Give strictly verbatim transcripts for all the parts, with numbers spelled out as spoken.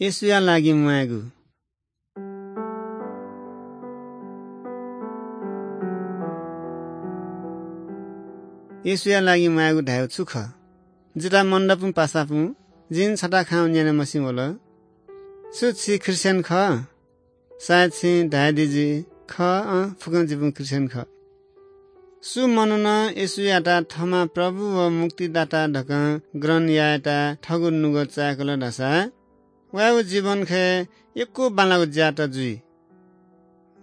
येशूया लागि म्वायेगु। येशूया लागि म्वायेगु धायेगु छु खः? जितः मनदपुं पासापुं जिं छता खँ न्यने मस्यू वल। छु छि ख्रीष्टियन खः? सायद छिं धायेदी जुइ, खः, अँ, फुक्कं जिपिं ख्रीष्टियन खः। सु मनुनं येशूयात थःम्हं प्रभु व मुक्तिदाता धकं ग्रहण यायेत थःगु नुगः चाय्‌कल धाःसा वयागु जीवनखय् यक्व बांलाःगु ज्यात जुइ।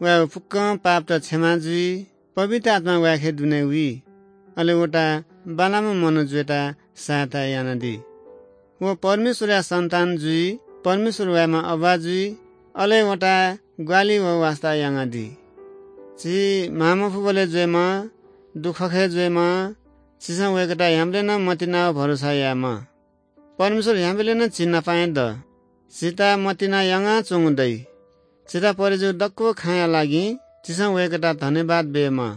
वयागु फुक्कं पापत क्षमा जुइ, पवित्र आत्मा वयाके दुने वइ। अले वता बांलाःम्ह मनू जुयेत सहायता यानादी। व परमेश्वरया सन्तान जुइ, परमेश्वर वयाम्ह अबा जुइ, अले वता ग्वालि व वास्ता यानादी। झी म्हां मफुबलय् जुयेमा, दुःखखय् जुयेमा, झीसं वय्‌कःयात ह्याउँबलय् नं मतिना व भरोसा यायेमा। परमेश्वर ह्याउँबलय् नं झी नापं हे द। झीत मतिना यानाच्वंगु दइ। झीत परे जूगु दक्व खँया लागि झीसं वय्‌कःयात धन्यवाद बीमाः।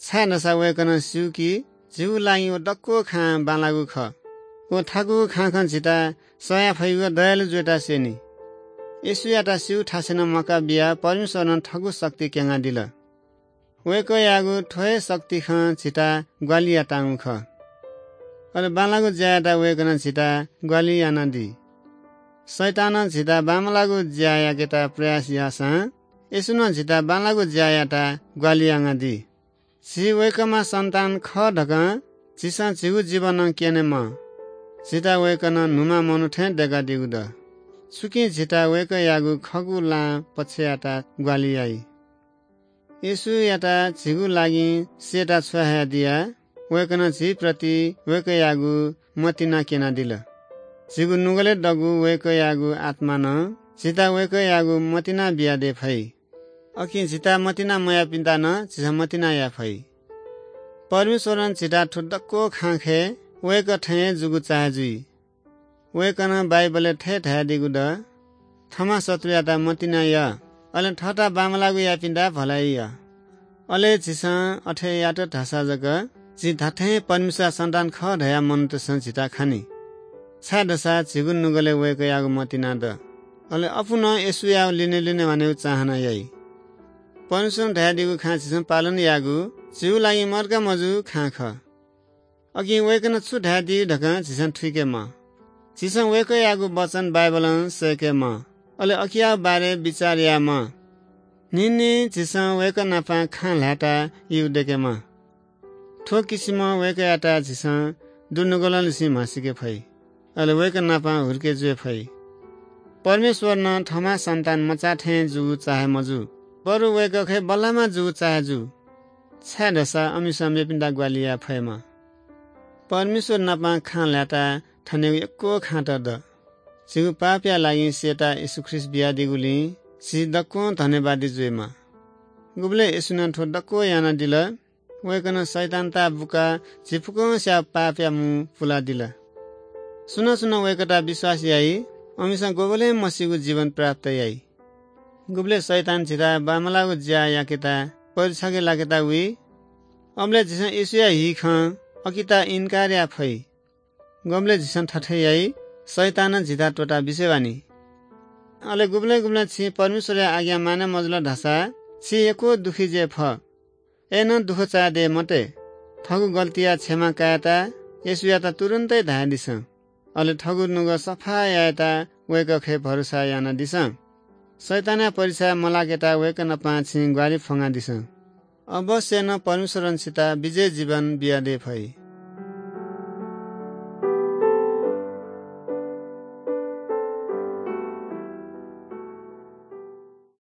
छाय्‌धाःसा वय्‌कलं स्यू कि झीगु लागि व दक्व खँ बांलाःगु खः। व थाकु खँखं झीत सयाः फइगु दयालु जुयेत स्यनी। येशूयात स्यू थासय् नं म्वाका बियाः परमेश्वरं थःगु शक्ति क्यनादिल। वय्‌कःयागु थ्व हे शक्ति खँ झीत ग्वालि यातांगु खः। अले बांलाःगु ज्यायात वय्‌कलं झीत ग्वालि यानादी। शैतानं झीत बांमलाःगु ज्या याकेत प्रयास याःसां येशूनं झीत बांलाःगु ज्या यायेत ग्वालि यानादी। झी वय्‌कःम्ह सन्तान खः धकं झीसं झीगु जीवनं क्यनेमाः। झीत वय्‌कलं न्हूम्ह मनू थें दय्‌कादीगु द। छुकिं झीत वय्‌कःयागु खःगु लां पक्षयात ग्वालि याइ। येशूयात झीगु लागि स्येत छ्वयाहयादियाः वय्‌कलं झीप्रति वय्‌कःयागु मतिना क्यनादिल। झीगु नुगलय् दःगु वय्‌कःयागु आत्मां नं झीत वय्‌कःयागु मतिना बियादये फइ। अकिं झीत मतिना मयाःपिन्त नं झीसं मतिना याये फइ। परमेश्वरं झीत थ्व दक्व खँखय् वय्‌कः थें हे जूगु चाहे जुइ। वय्‌कलं बाइबलय् थथे धयादीगु द, थःम्हं शत्रुयात मतिना या, अले थःत बांमलाःगु याःपिन्त भलाइ या। अले झीसं अथे यात धाःसा जक झी धात्थें परमेश्वरया सन्तान खः धयाः मनूतय्‌सं झीत खनी। छाय्‌धाःसा झीगु नुगलय् वय्‌कःयागु मतिना द। अले अप्वः नं येशूया लिने लिने वनेगु चाहना याइ। परमेश्वरं धयादीगु खँ झीसं पालन यायेगु झीगु लागि मदुगु मजूगु खँ खः। अकिं वय्‌कलं छु धयादी धकाः झीसं थुइकेमाः। झीसं वय्‌कःयागु वचन बाइबलं सय्‌केमाः, अले अकियागु बारे बिचाः यायेमाः। न्हिं न्हिं झीसं वय्‌कः नाप खँ ल्हायेत यु दय्‌केमाः। थ्व किसिमं वय्‌कःयात झीसं दुनुगलंनिसें म्हसीके फइ, अले वय्‌कः नाप हुरिके जुये फइ। परमेश्वर नं थःम्हं सन्तान मचा थें जूगु चाहे मजू, बरु वय्‌कःखय् बल्लाःम्ह जूगु चाहे जू। छाय्‌धाःसा अमिसं मेपिन्त ग्वाहालि याये फयेमा। परमेश्वर नाप खँ ल्हायेत थनेगु यक्व खँत द। झीगु पापया लागि स्येत येशू ख्रीष्ट बियादीगुलिं झी दक्वं धन्यवादी जुयेमा। गुबलय् येशूनं थ्व दक्व यानादिल, वय्‌कलं शैतानता बुकाः झी फुक्कंस्यां पापया मू पुलादिल। सुनां सुनां वय्‌कःयात विश्वास याइ, अमिसं गुबलें मसीगु जीवन प्राप्त याइ। गुबलय् शैतान झीत बांमलाःगु ज्या याकेत परीक्षाय् लाकेत वइ, अबलय् झीसं येशूया हि खँ अकिता इन्कार याये फइ। गुबलय् झीसं थथे याइ, शैतानं झीत त्वःता बिसे वानि। अले गुबलें गुबलें छिं परमेश्वरया आज्ञा माने मजुल धाःसा छि यक्व दुःखी जुये फः। अय्‌नं दुःख चाये दये मते। थःगु गल्तीया क्षमा कायेत येशूयात तुरुन्‍तय् धायेदिसँ। अले थःगु नुगः सफा यायेत वय्‌कःखय् भरोसा यानादिसँ। शैतानया परीक्षाय् मलाकेत वय्‌कः नाप छिं ग्वाहालि फ्‍वंकादिसँ। अवश्य नं परमेश्वरं छित विजयी जीवन बियादये फइ।